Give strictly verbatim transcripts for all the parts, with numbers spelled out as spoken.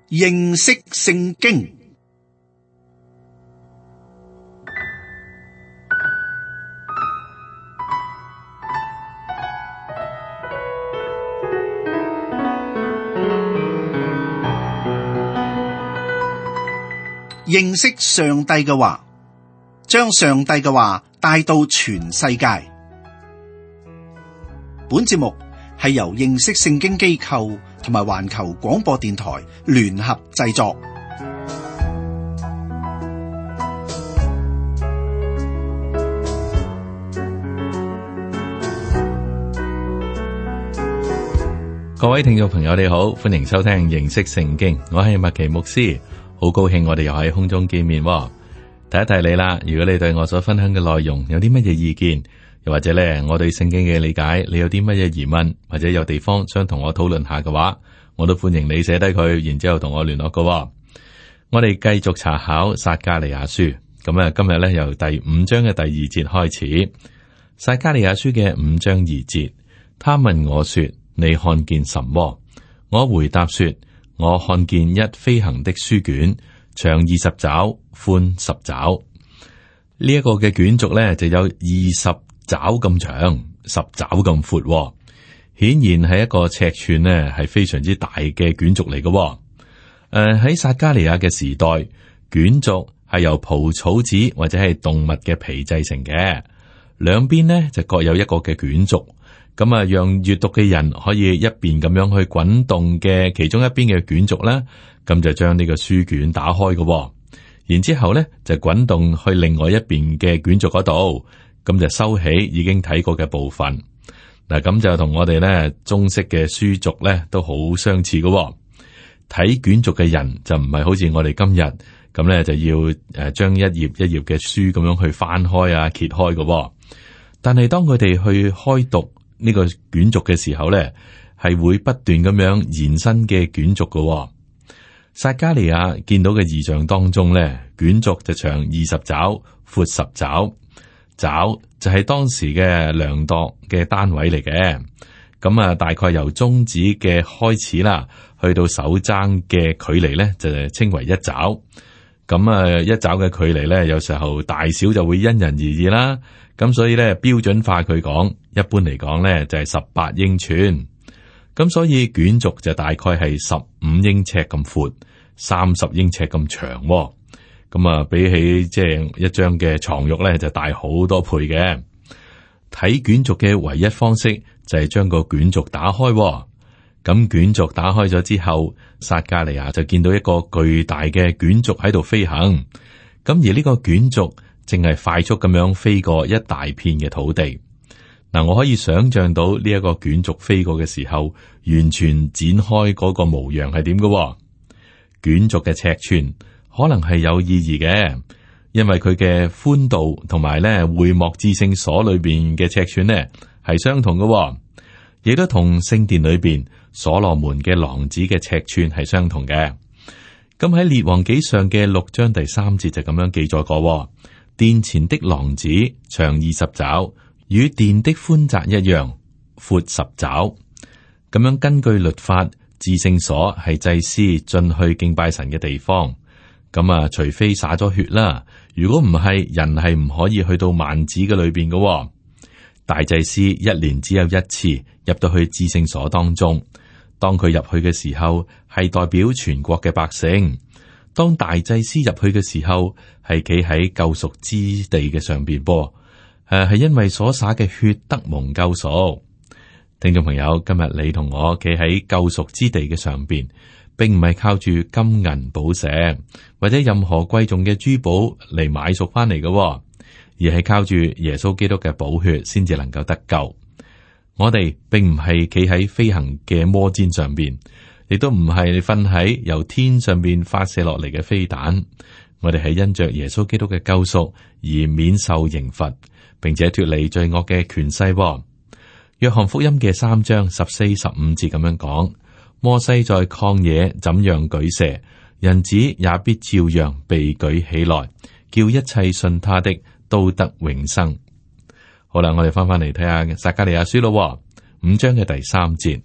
認識聖經。認識上帝嘅話，將上帝嘅話帶到全世界。本節目係由認識聖經機構同埋環球廣播電台聯合製作。各位聽眾朋友你好，歡迎收聽認識聖經，我係麥奇牧師。好高興我哋又喺空中見面，提一提你啦。如果你對我所分享嘅內容有啲乜嘢意見，又或者咧我對聖經嘅理解，你有啲乜嘢疑問，或者有地方想同我討論下嘅話，我都歡迎你寫低佢，然之後同我聯絡㗎。我哋繼續查考撒迦利亞書，咁啊今日咧由第五章嘅第二節開始。撒迦利亞書嘅五章二節，他問我說：你看見什麼？我回答說：我看見一飛行的書卷，長二十肘，寬十肘。呢、這、一個嘅卷軸咧就有二十肘咁長，十肘咁闊，顯然係一個尺寸呢係非常之大嘅卷軸嚟嘅。誒、呃、喺撒迦利亞嘅時代，卷軸係由蒲草紙或者係動物嘅皮製成嘅，兩邊呢就各有一個嘅卷軸。咁啊，讓閱讀嘅人可以一邊咁樣去滾動嘅其中一邊嘅卷軸啦，咁就將呢個書卷打開嘅，然之後咧就滾動去另外一邊嘅卷軸嗰度，咁就收起已經睇過嘅部分。嗱，咁就同我哋咧中式嘅書軸咧都好相似嘅。睇卷軸嘅人就唔係好似我哋今日咁咧，就要誒將一頁一頁嘅書咁樣去翻開啊揭開嘅。但係當佢哋去開讀呢個卷軸嘅時候咧，係會不斷咁樣延伸嘅卷軸嘅。撒迦利亞見到嘅異象當中咧，卷軸就長二十肘，闊十肘，肘就係當時嘅量度嘅單位嚟嘅。咁啊，大概由中指嘅開始啦，去到手踭嘅距離咧，就稱為一肘。咁啊，一肘嘅距離咧，有時候大小就會因人而異啦。咁所以咧，標準化佢講，一般嚟講咧就係十八英寸。咁所以卷軸就大概係十五英尺咁闊，三十英尺咁長。咁啊，比起即係一張嘅床褥咧，就大好多倍嘅。睇卷軸嘅唯一方式就係將個卷軸打開。咁卷軸打開咗之後，撒迦利亞就見到一個巨大嘅卷軸喺度飛行。咁而呢個卷軸淨係快速咁樣飛過一大片嘅土地。嗱，我可以想象到呢一個卷軸飛過嘅時候，完全展開嗰個模樣係點嘅。卷軸嘅尺寸可能係有意義嘅，因為佢嘅寬度同埋咧會幕至聖所裏邊嘅尺寸呢係相同嘅，亦都同聖殿裏邊所羅門嘅廊子嘅尺寸係相同嘅。咁喺列王紀上嘅六章第三節就咁樣記載過。殿前的廊子長二十肘，與殿的寬窄一樣，闊十肘。咁樣根據律法，至聖所係祭司進去敬拜神嘅地方。咁啊，除非灑咗血啦，如果唔係，人係唔可以去到幔子嘅裏邊嘅。大祭司一年只有一次入到去至聖所當中，當佢入去嘅時候，係代表全國嘅百姓。當大祭司入去嘅時候，係企喺救贖之地嘅上邊噃，誒，係因為所灑嘅血得蒙救贖。聽眾朋友，今日你同我企喺救贖之地嘅上邊，並唔係靠住金銀寶石或者任何貴重嘅珠寶嚟買贖翻嚟嘅，而係靠住耶穌基督嘅寶血先至能夠得救。我哋並唔係企喺飛行嘅摩氈上邊，亦都唔係瞓喺由天上邊發射落嚟嘅飛彈。我哋係因着耶穌基督嘅救贖而免受刑罰，並且脫離罪惡嘅權勢。約翰福音嘅三章十四、十五節咁樣講：摩西在曠野怎樣舉蛇，人子也必照樣被舉起來，叫一切信他的都得永生。好啦，我哋翻翻嚟睇下撒迦利亞書咯，五章嘅第三節，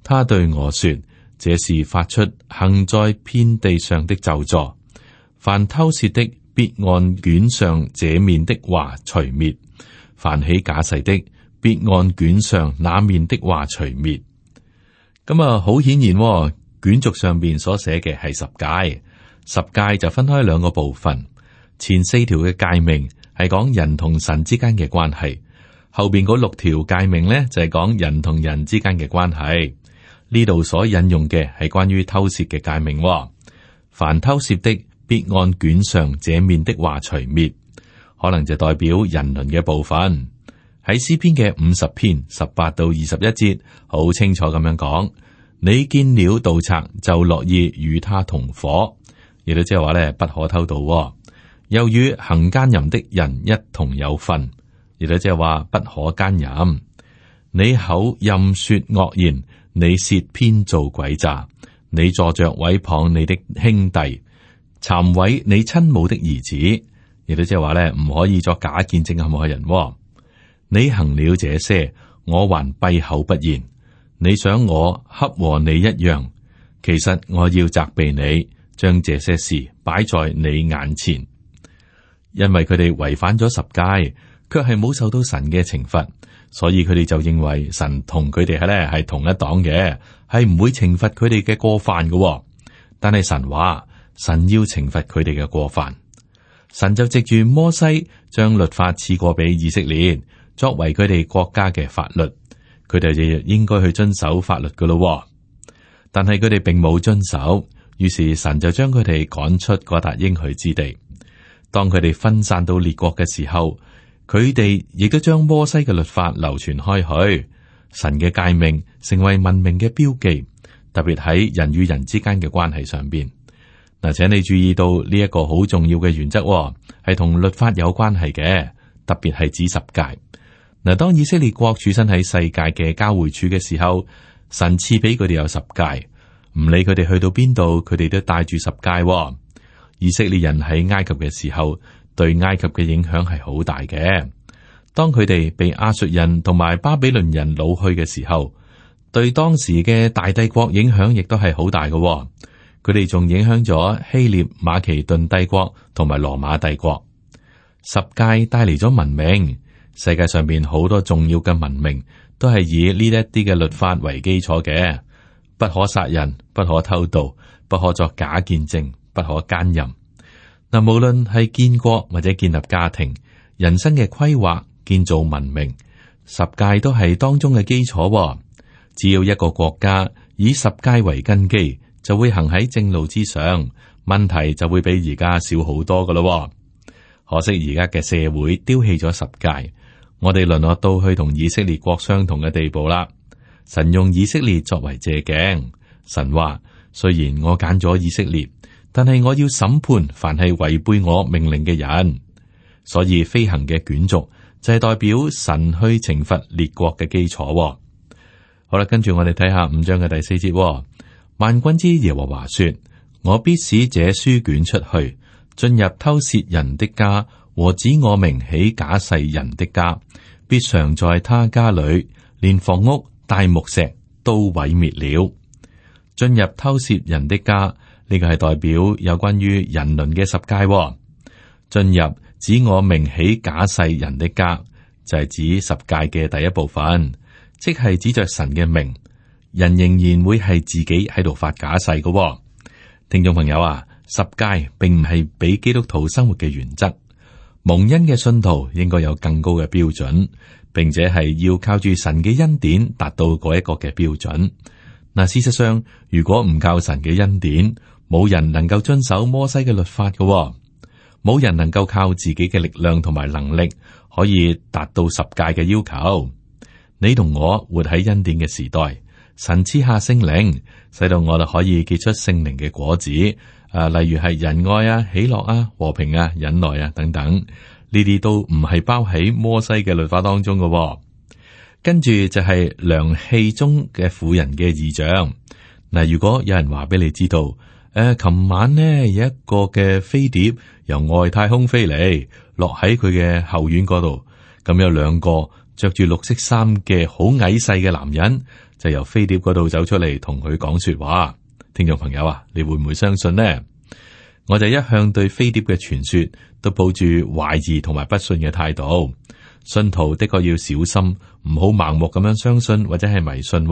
他對我說：這是發出行在遍地上的咒詛。凡偷竊的，必按卷上這面的話除滅；凡起假誓的，必按卷上那面的話除滅。咁啊，好顯然、哦，卷軸上邊所寫嘅係十誡，十誡就分開兩個部分。前四條嘅誡命係講人同神之間嘅關係，後邊嗰六條誡命呢就係、是、講人同人之間嘅關係。呢度所引用嘅係關於偷竊嘅誡命、哦。凡偷竊的，必按卷上這面的話除滅，可能就代表人倫嘅部分。喺詩篇嘅五十篇十八到二十一節，好清楚咁樣講：你見了盜賊，就樂意與他同伙。亦都即係話咧，不可偷盜、哦，又與行奸淫的人一同有份。亦都即係話不可奸淫。你口任說惡言，你舌編造詭詐，你坐着毀謗你的兄弟，讒毀你親母的兒子。亦都即係話咧，唔可以作假見證陷害人、哦。你行了這些，我還閉口不言。你想我恰和你一樣，其實我要責備你，將這些事擺在你眼前，因為佢哋違反咗十誡，卻係冇受到神嘅懲罰，所以佢哋就認為神同佢哋係咧係同一黨嘅，係唔會懲罰佢哋嘅過犯嘅、哦。但係神話，神要懲罰佢哋嘅過犯，神就藉住摩西將律法賜過俾以色列，作為佢哋國家嘅法律，佢哋就應該去遵守法律噶咯。但係佢哋並冇遵守，於是神就將佢哋趕出嗰笪應許之地。當佢哋分散到列國嘅時候，佢哋亦都將摩西嘅律法流傳開去，神嘅誡命成為文明嘅標記，特別喺人與人之間嘅關係上邊。嗱，請你注意到呢一個好重要嘅原則，係同律法有關係嘅，特別係指十誡。嗱，當以色列國處身喺世界嘅交匯處嘅時候，神賜俾佢哋有十誡，唔理佢哋去到邊度，佢哋都帶住十誡。以色列人喺埃及嘅時候，對埃及嘅影響係好大嘅。當佢哋被亞述人同埋巴比倫人擄去嘅時候，對當時嘅大帝國影響亦都係好大嘅。佢哋仲影響咗希臘、馬其頓帝國同埋羅馬帝國。十誡帶嚟咗文明。世界上面好多重要嘅文明都係以呢一啲嘅律法為基礎嘅，不可殺人，不可偷盜，不可作假見證，不可奸淫。嗱，無論係建國或者建立家庭、人生嘅規劃、建造文明，十誡都係當中嘅基礎。只要一個國家以十誡為根基，就會行喺正路之上，問題就會比而家少好多噶咯。可惜而家嘅社會丟棄咗十誡。我哋淪落到去同以色列國相同嘅地步啦。神用以色列作為借鏡，神話，雖然我揀咗以色列，但係我要審判凡係違背我命令嘅人。所以飛行嘅卷軸就係代表神去懲罰列國嘅基礎。好啦，跟住我哋睇下五章嘅第四節。萬軍之耶和華說：我必使這書卷出去，進入偷竊人的家和指我名起假誓人的家，必常在他家裏，連房屋大木石都毀滅了。進入偷竊人的家，呢、這個係代表有關於人倫嘅十誡。進入指我名起假誓人的家，就係、是、指十誡嘅第一部分，即係指着神嘅名，人仍然會係自己喺度發假誓嘅。聽眾朋友啊，十誡並唔係俾基督徒生活嘅原則。蒙恩嘅信徒應該有更高嘅標準，並且係要靠住神嘅恩典達到嗰一個嘅標準。嗱，事實上，如果唔靠神嘅恩典，冇人能夠遵守摩西嘅律法嘅，冇人能夠靠自己嘅力量同埋能力可以達到十誡嘅要求。你同我活喺恩典嘅時代，神賜下聖靈，使到我哋可以結出聖靈嘅果子。啊，例如係仁愛啊、喜樂啊、和平啊、忍耐啊等等，呢啲都唔係包喺摩西嘅律法當中嘅、哦。跟住就係量器中嘅婦人嘅異象。嗱，如果有人話俾你知道，誒、呃，琴晚呢有一個嘅飛碟由外太空飛嚟，落喺佢嘅後院嗰度，咁有兩個着住綠色衫嘅好矮細嘅男人，就由飛碟嗰度走出嚟同佢講說話。聽眾朋友啊，你會唔會相信呢？我就一向對飛碟嘅傳說都抱住懷疑同埋不信嘅態度。信徒的確要小心，唔好盲目咁樣相信或者係迷信。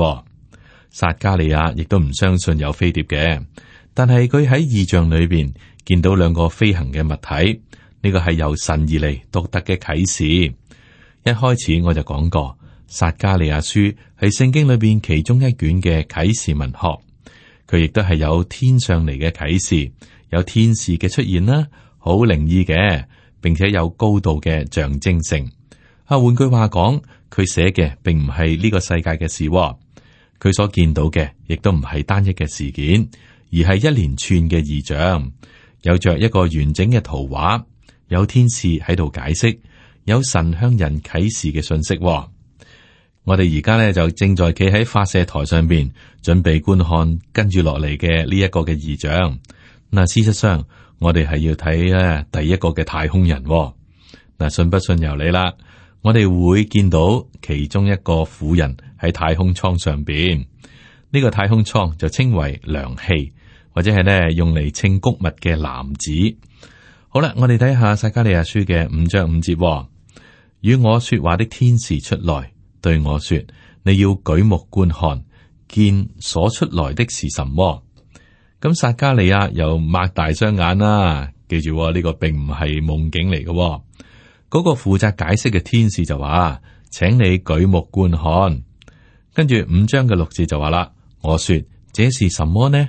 撒迦利亞亦都唔相信有飛碟嘅，但係佢喺異象裏邊見到兩個飛行嘅物體，呢個係由神而嚟獨特嘅啟示。一開始我就講過，撒迦利亞書係聖經裏邊其中一卷嘅啟示文學，佢亦都係有天上嚟嘅啟示，有天使嘅出現啦，好靈異嘅，並且有高度嘅象徵性。啊，換句話講，佢寫嘅並唔係呢個世界嘅事，佢所見到嘅亦都唔係單一嘅事件，而係一連串嘅異象，有着一個完整嘅圖畫，有天使喺度解釋，有神向人啟示嘅信息。我哋而家咧就正在企喺發射台上邊，準備觀看跟住落嚟嘅呢一個嘅異象。嗱，事實上我哋係要睇咧第一個嘅太空人。嗱，信不信由你啦。我哋會見到其中一個婦人喺太空艙上邊，呢個太空艙就稱為量器，或者係咧用嚟稱谷物嘅籃子。好啦，我哋睇下撒迦利亞書嘅五章五節，與我說話的天使出來對我說，你要舉目觀看，見所出來的是什麼。咁撒迦利亞又擘大雙眼啦，記住呢個並唔係夢境嚟嘅。嗰個負責解釋嘅天使就話，請你舉目觀看。跟住五章嘅六字就話啦，我說這是什麼呢？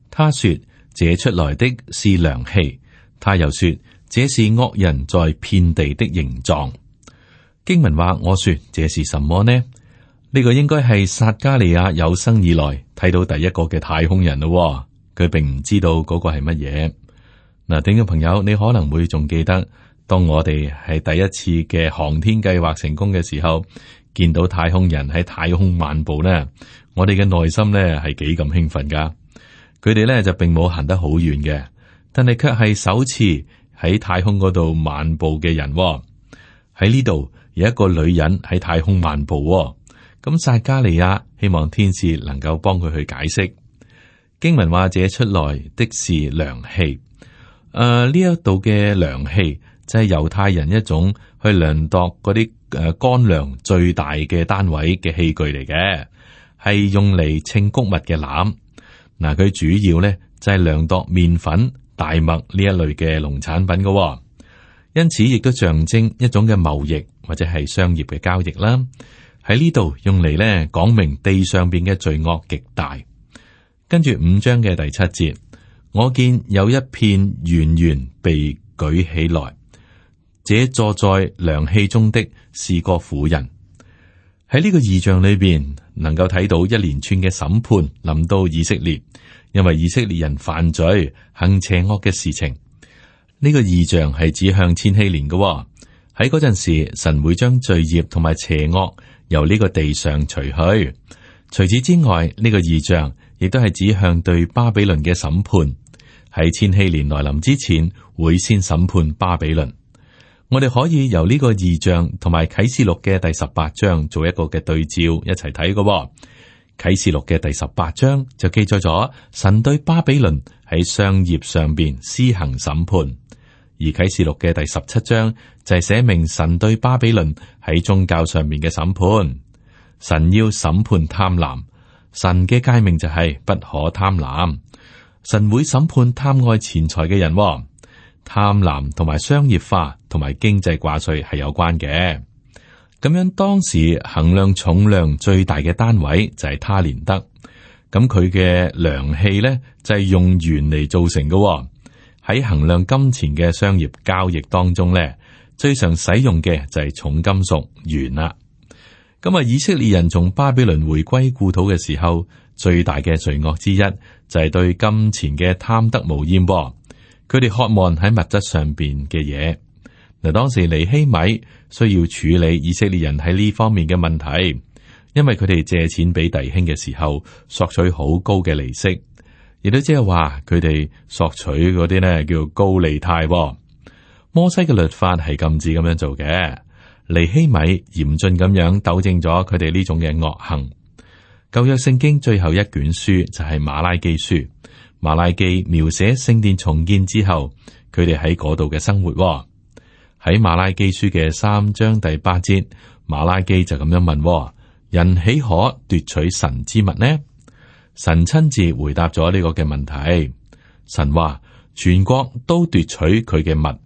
他說這出來的是量器。他又說這是惡人在遍地的形狀。經文話，我說這是什麼呢？呢個應該係撒迦利亞有生以來睇到第一個嘅太空人咯。佢並唔知道嗰個係乜嘢。嗱，聽眾朋友，你可能會仲記得，當我哋係第一次嘅航天計劃成功嘅時候，見到太空人喺太空漫步呢，我哋嘅內心呢係幾咁興奮噶。佢哋呢就並冇行得好遠嘅，但係卻係首次喺太空嗰度漫步嘅人。喺呢度有一個女人喺太空漫步。咁撒迦利亞希望天使能夠幫佢去解釋。經文話，這出來的是量器。誒，呢一度嘅量器就係猶太人一種去量度嗰啲誒乾糧最大嘅單位嘅器具嚟嘅，係用嚟稱穀物嘅籃。嗱，佢主要咧就係量度麵粉、大麥呢一類嘅農產品嘅，因此亦都象徵一種嘅貿易或者係商業嘅交易啦。喺呢度用嚟咧講明地上邊嘅罪惡極大。跟住五章嘅第七節，我見有一片圓圓被舉起來，這坐在量器中的是個婦人。喺呢個異象裏邊，能夠睇到一連串嘅審判臨到以色列，因為以色列人犯罪行邪惡嘅事情。呢、這個異象係指向千禧年嘅、哦，喺嗰陣時，神會將罪孽同埋邪惡由呢個地上除去。除此之外，呢、這個異象亦都係指向對巴比倫嘅審判。喺千禧年來臨之前，會先審判巴比倫。我哋可以由呢個異象同埋啟示錄嘅第十八章做一個嘅對照，一齊睇嘅。啟示錄嘅第十八章就記載咗神對巴比倫喺商業上邊施行審判，而啟示錄嘅第十七章就係寫明神對巴比倫喺宗教上面嘅審判。神要審判貪婪，神嘅誡命就係不可貪婪。神會審判貪愛錢財嘅人，貪婪同埋商業化同埋經濟掛帥係有關嘅。咁樣當時衡量重量最大嘅單位就係他連德，咁佢嘅量器咧就係用鉛嚟造成嘅。喺衡量金錢嘅商業交易當中咧，最常使用嘅就係重金屬鉛啦。咁啊，以色列人從巴比倫回歸故土嘅時候，最大嘅罪惡之一就係對金錢嘅貪得無厭。佢哋渴望喺物質上邊嘅嘢。嗱，當時尼希米需要處理以色列人喺呢方面嘅問題，因為佢哋借錢俾弟兄嘅時候索取好高嘅利息，亦都即係話佢哋索取嗰啲呢叫高利貸。摩西嘅律法係禁止咁樣做嘅。尼希米嚴峻咁樣糾正咗佢哋呢種嘅惡行。舊約聖經最後一卷書就係馬拉基書，馬拉基描寫聖殿重建之後，佢哋喺嗰度嘅生活。喺馬拉基書嘅三章第八節，馬拉基就咁樣問：人豈可奪取神之物呢？神親自回答咗呢個嘅問題。神話全國都奪取佢嘅物。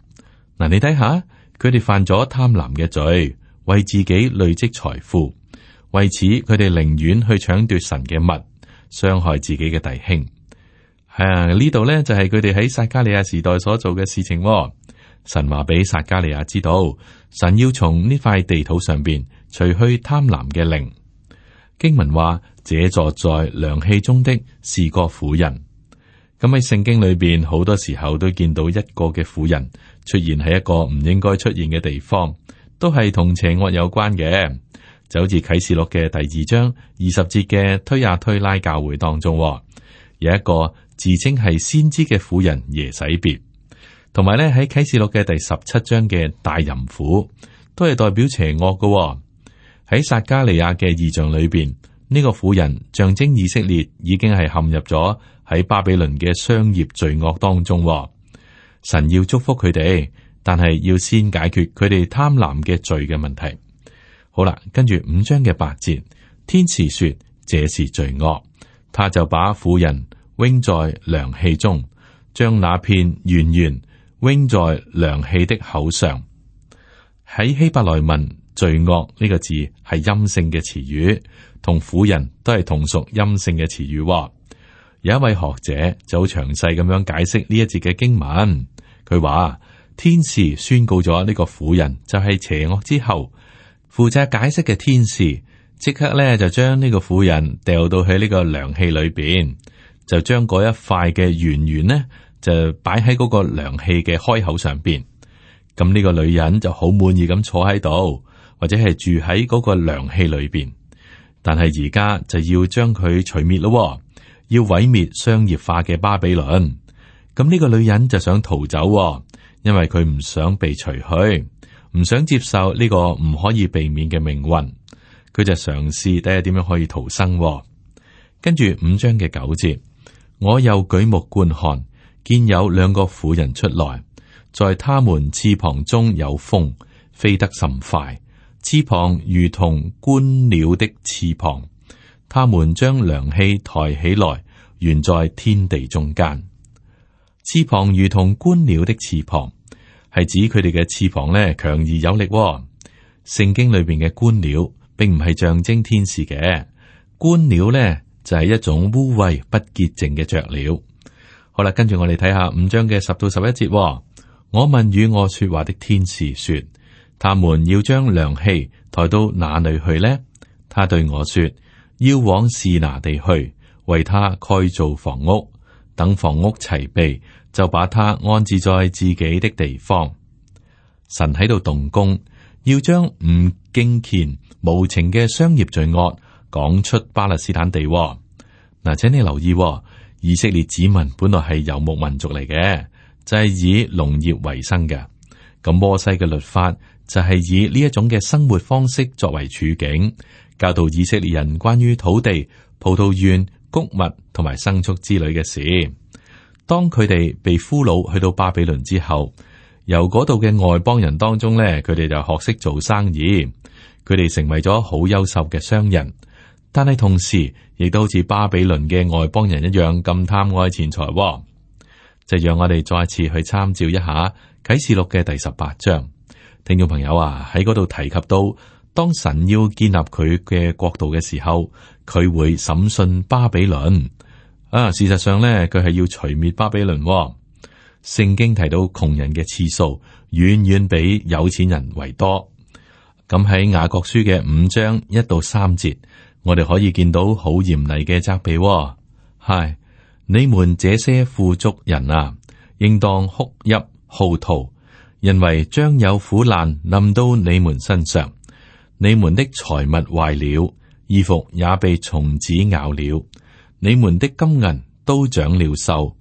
嗱，你睇下，佢哋犯咗貪婪嘅罪，為自己累積財富，為此佢哋寧願去搶奪神嘅物，傷害自己嘅弟兄。係啊，呢度呢就係佢哋喺撒迦利亞時代所做嘅事情。神話俾撒迦利亞知道，神要從呢塊地土上邊除去貪婪嘅靈。經文話，這坐在涼氣中的是個婦人。咁喺聖經裏邊，好多時候都見到一個嘅婦人出現喺一個唔應該出現嘅地方，都係同邪惡有關嘅。就好似啟示錄嘅第二章二十節嘅推亞推拉教會當中，有一個自稱係先知嘅婦人耶洗別。同埋咧，喺啟示錄嘅第十七章嘅大淫婦，都係代表邪惡嘅、哦。喺撒迦利亞嘅異象裏邊，呢、這個婦人象徵以色列已經係陷入咗喺巴比倫嘅商業罪惡當中、哦。神要祝福佢哋，但係要先解決佢哋貪婪嘅罪嘅問題。好啦，跟住五章嘅八節，天使說這是罪惡，他就把婦人扔在涼氣中，將那片圓圓扔在涼氣的口上。喺希伯來文，罪惡呢個字係陰性嘅詞語，同婦人都係同屬陰性嘅詞語。有一位學者就好詳細咁樣解釋呢一節嘅經文。佢話天使宣告咗呢個婦人就係邪惡之後，負責解釋嘅天使即刻咧就將呢個婦人掉到去呢個涼氣裏邊，就將嗰一塊嘅圓圓呢，就擺喺嗰個涼氣嘅開口上邊，咁呢個女人就好滿意咁坐喺度，或者係住喺嗰個涼氣裏邊。但係而家就要將佢除滅咯，要毀滅商業化嘅巴比倫。咁呢個女人就想逃走，因為佢唔想被除去，唔想接受呢個唔可以避免嘅命運。佢就嘗試睇下點樣可以逃生。跟住五章嘅九節，我又舉目觀看，見有兩個婦人出來，在他們翅膀中有風，飛得甚快，翅膀如同觀鳥的翅膀。他們將涼氣抬起來，懸在天地中間。翅膀如同觀鳥的翅膀，係指佢哋嘅翅膀咧強而有力。聖經裏邊嘅觀鳥，並唔係象徵天使嘅。觀鳥咧就係一種污穢不潔淨嘅雀鳥。好啦，跟住我哋睇下五章嘅十到十一節，哦。我問與我說話的天使說：他們要將涼氣抬到哪裏去呢？他對我說：要往示拿地去，為他蓋造房屋，等房屋齊備，就把他安置在自己的地方。神喺度動工，要將唔敬虔無情嘅商業罪惡講出巴勒斯坦地，哦。嗱，請你留意，哦。以色列子民本來係游牧民族嚟嘅，就係以農業為生嘅。咁摩西嘅律法就係以呢一種嘅生活方式作為處境，教導以色列人關於土地、葡萄園、穀物同埋牲畜之類嘅事。當佢哋被俘虜去到巴比倫之後，由嗰度嘅外邦人當中咧，佢哋就學識做生意，佢哋成為咗好優秀嘅商人。但係同時，亦都好似巴比倫嘅外邦人一樣咁貪愛錢財，哦。就讓我哋再次去參照一下啟示錄嘅第十八章。聽眾朋友啊，喺嗰度提及到，當神要建立佢嘅國度嘅時候，佢會審訊巴比倫。啊，事實上咧，佢係要除滅巴比倫，哦。聖經提到窮人嘅次數遠遠比有錢人為多。咁喺雅各書嘅五章一到三節。我哋可以見到好嚴厲嘅責備，哦，係你們這些富足人啊，應當哭泣號啕，因為將有苦難臨到你們身上。你們的財物壞了，衣服也被蟲子咬了，你們的金銀都長了銹，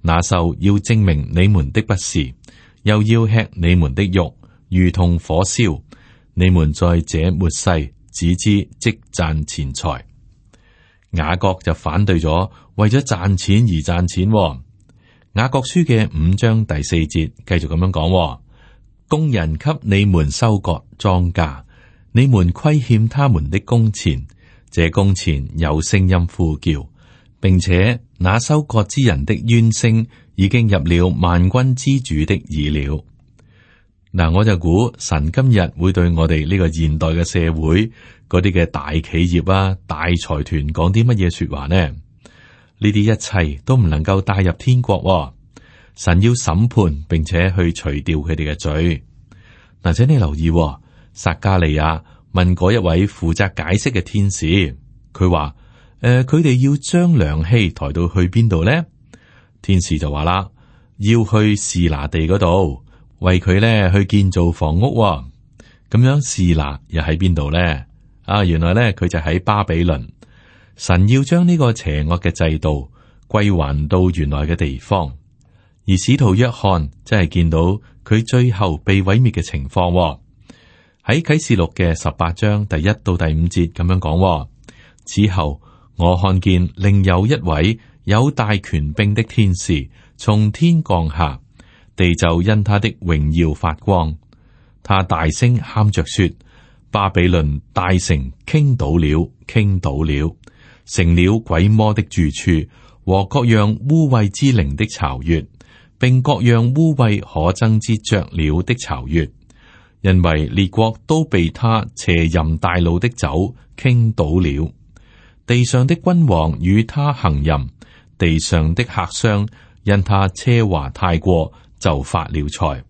那銹要證明你們的不是，又要吃你們的肉，如同火燒。你們在這末世只知積攢錢財。雅各就反對咗，為咗賺錢而賺錢。雅各書嘅五章第四節繼續咁樣講：工人給你們收割莊稼，你們虧欠他們的工錢，這工錢有聲音呼叫，並且那收割之人的冤聲已經入了萬軍之主的耳了。嗱，我就估神今日會對我哋呢個現代嘅社會嗰啲嘅大企業啊、大財團講啲乜嘢說話呢？呢啲一切都唔能夠帶入天國喎。神要審判，並且去除掉佢哋嘅罪。嗱，請你留意喎，撒迦利亞問嗰一位負責解釋嘅天使，佢話：誒、呃，佢哋要將量器抬到去邊度呢？天使就話啦，要去示拿地嗰度。為佢咧去建造房屋。哦，咁樣示拿又喺邊度咧？啊，原來咧佢就喺巴比倫。神要將呢個邪惡嘅制度歸還到原來嘅地方，而使徒約翰真係見到佢最後被毀滅嘅情況。哦。喺啟示錄嘅十八章第一到第五節咁樣講。哦，此後我看見另有一位有大權柄的天使從天降下。地就因他的榮耀發光，他大聲喊着說：巴比倫大城傾倒了，傾倒了，成了鬼魔的住處和各樣污穢之靈的巢穴，並各樣污穢可憎之雀鳥的巢穴，因為列國都被他邪淫大怒的酒傾倒了。地上的君王與他行淫，地上的客商因他奢華太過。就發了財。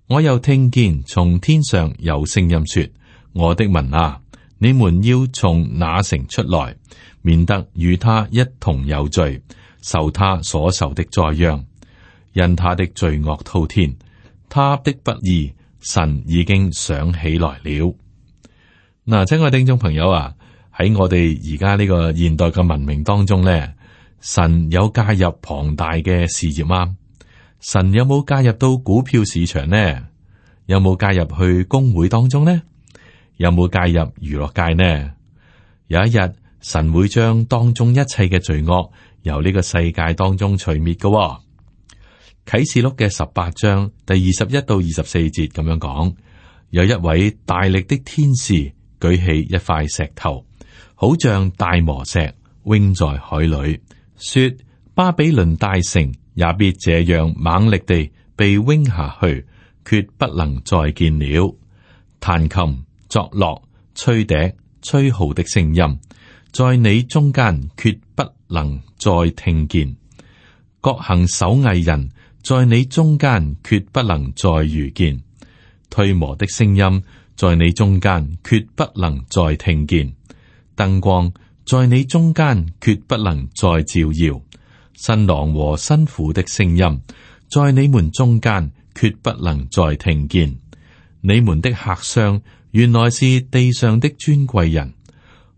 我又聽見從天上有聲音說：我的民啊，你們要從那城出來，免得與他一同有罪，受他所受的災殃。因他的罪惡滔天，他的不義，神已經想起來了。嗱，親愛聽眾朋友啊，喺我哋而家呢個現代嘅文明當中咧，神有介入龐大嘅事業嗎？神有冇介入到股票市場呢？有冇介入去工會當中呢？有冇介入娛樂界呢？有一日，神會將當中一切嘅罪惡由呢個世界當中除滅嘅、哦。啟示錄嘅十八章第二十一到二十四節咁樣講：有一位大力的天使舉起一塊石頭，好像大磨石，扔在海裏，說：巴比倫大城也必這樣猛力地被扔下去，決不能再見了。彈琴、作樂、吹笛、吹號的聲音，在你中間決不能再聽見。各行手藝人，在你中間決不能再遇見。推磨的聲音，在你中間決不能再聽見。燈光，在你中間決不能再照耀。新郎和新婦的聲音，在你們中間決不能再聽見。你們的客商原來是地上的尊貴人，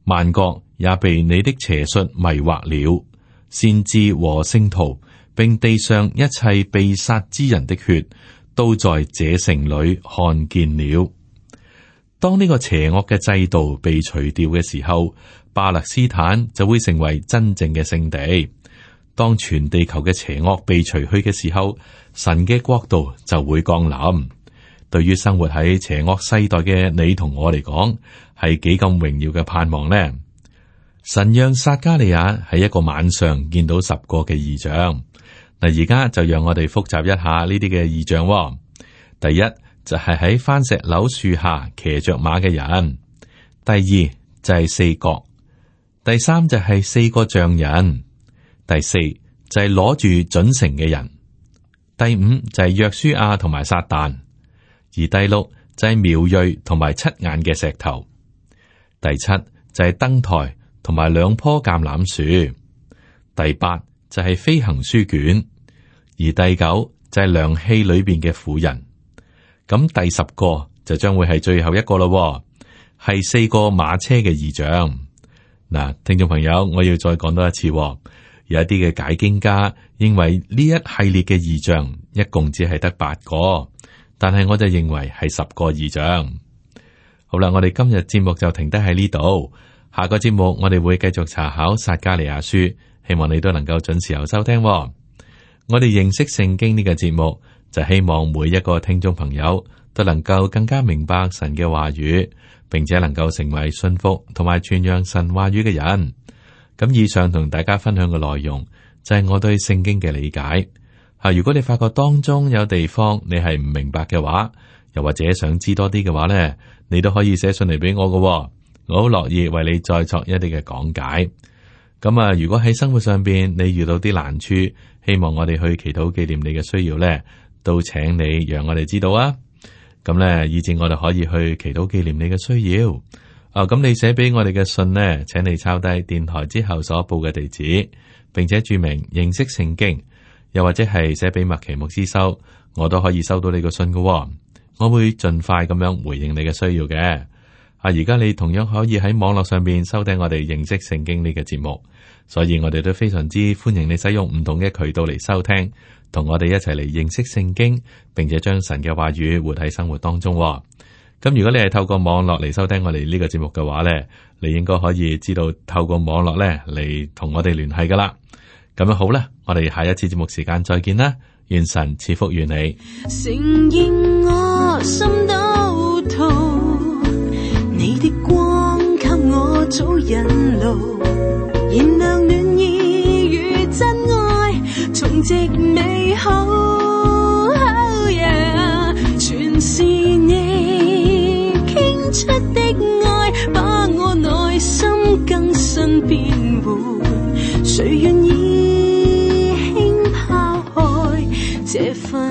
萬國也被你的邪術迷惑了。先知和聖徒，並地上一切被殺之人的血，都在這城裏看見了。當呢個邪惡嘅制度被除掉嘅時候，巴勒斯坦就會成為真正嘅聖地。當全地球嘅邪惡被除去嘅時候，神嘅國度就會降臨。對於生活喺邪惡世代嘅你同我嚟講，係幾咁榮耀嘅盼望呢？神讓撒迦利亞喺一個晚上見到十個嘅異象。嗱，而家就讓我哋複習一下呢啲嘅異象喎。第一就係喺番石榴樹下騎着馬嘅人。第二就係四角。第三就係四個匠人。第四就係攞住準繩嘅人。第五就係約書亞同埋撒旦。而第六就係苗裔同埋七眼嘅石頭。第七就係燈台同埋兩棵橄欖樹。第八就係飛行書卷。而第九就係量器裏邊嘅婦人。咁第十個就將會係最後一個咯，係四個馬車嘅異象。嗱，聽眾朋友，我要再講多一次。有一啲嘅解經家認為呢一系列嘅異象一共只係得八個，但係我就認為係十個異象。好啦，我哋今日節目就停低喺呢度，下個節目我哋會繼續查考撒迦利亞書，希望你都能夠準時有收聽喎。我哋認識聖經呢個節目，就希望每一個聽眾朋友都能夠更加明白神嘅話語，並且能夠成為信服同埋傳揚神話語嘅人。咁以上同大家分享嘅內容就係我對聖經嘅理解。吓，如果你發覺當中有地方你係唔明白嘅話，又或者想知多啲嘅話咧，你都可以寫信嚟俾我㗎喎，我好樂意為你再作一啲嘅講解。咁啊，如果喺生活上邊你遇到啲難處，希望我哋去祈禱紀念你嘅需要咧，都請你讓我哋知道啊。咁咧，以至我哋可以去祈禱紀念你嘅需要。啊，咁你寫俾我哋嘅信呢，請你抄低電台之後所報嘅地址，並且注明認識聖經。又或者係寫俾麥奇牧師收，我都可以收到你個信㗎喎。我會盡快咁樣回應你嘅需要嘅。啊，而家你同樣可以喺網絡上邊收聽我哋認識聖經呢個節目，所以我哋都非常之歡迎你使用唔同嘅渠道嚟收聽，同我哋一齊嚟認識聖經，並且將神嘅話語活喺生活當中喎。咁如果你係透過網絡嚟收聽我哋呢個節目嘅話呢，你應該可以知道透過網絡呢嚟同我哋聯繫噶啦。咁樣好啦，我哋下一次節目時間再見啦，願神賜福於你。承認我心都痛，你的光給我早引路，燃亮暖意與真愛，重植美好。Oh yeah， 全是你傾出的愛，把我內心更新變換，誰願意這份